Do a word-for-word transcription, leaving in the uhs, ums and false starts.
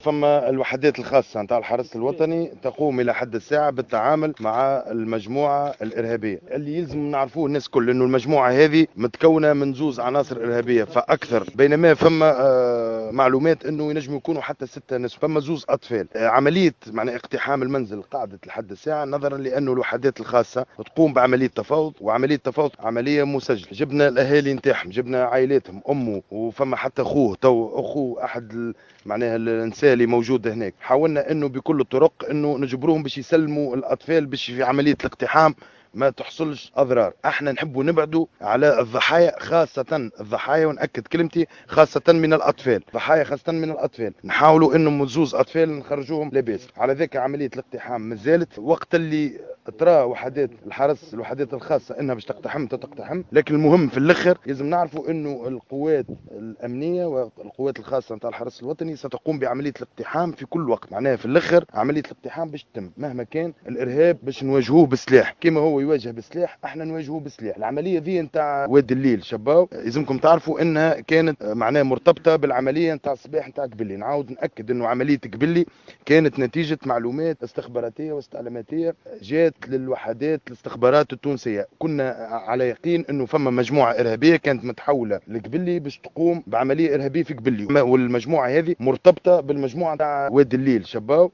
فما الوحدات الخاصة نتاع الحرس الوطني تقوم الى حد الساعة بالتعامل مع المجموعة الارهابية. اللي يلزم نعرفوه الناس كل انه المجموعة هذه متكونه من زوز عناصر ارهابية فاكثر، بينما فما آه، معلومات انه ينجم يكونوا حتى ستة ناس، فما زوز اطفال. آه، عملية معناها اقتحام المنزل قعدت لحد الساعة نظرا لانه الوحدات الخاصة تقوم بعملية تفاوض، وعملية تفاوض عملية مسجله. جبنا الاهالي نتاعهم، جبنا عائلاتهم، امه وفما حتى اخوه، تو اخوه احد معناها النساء اللي موجود هناك. حاولنا انه بكل الطرق انه نجبروهم باش يسلموا الاطفال باش في عملية الاقتحام ما تحصلش اضرار. احنا نحبوا نبعدوا على الضحايا، خاصة الضحايا، ونأكد كلمتي خاصة من الاطفال، ضحايا خاصة من الاطفال. نحاولوا انه زوز اطفال نخرجوهم لاباس. على ذاك عملية الاقتحام مازالت، وقت اللي ترى وحدات الحرس الوحدات الخاصة انها باش تقتحم تقتحم، لكن المهم في الاخر لازم نعرفوا انه القوات الامنية والقوات الخاصة نتاع الحرس الوطني ستقوم بعملية الاقتحام في كل وقت. معناها في الاخر عملية الاقتحام باش تتم مهما كان الارهاب باش نواجهوه بالسلاح، كما هو يواجه بالسلاح احنا نواجهوه بالسلاح. العملية ذي نتاع واد الليل شباو لازمكم تعرفوا انها كانت معناها مرتبطة بالعملية نتاع الصباح نتاع قبلي. نعاود ناكد انه عملية قبلي كانت نتيجة معلومات استخباراتية واستعلاماتيه جات للوحدات الاستخبارات التونسية. كنا على يقين انه فما مجموعة ارهابية كانت متحوله لقبلي باش تقوم بعملية ارهابية في قبلي، والمجموعة هذه مرتبطة بالمجموعة تاع واد الليل شباو.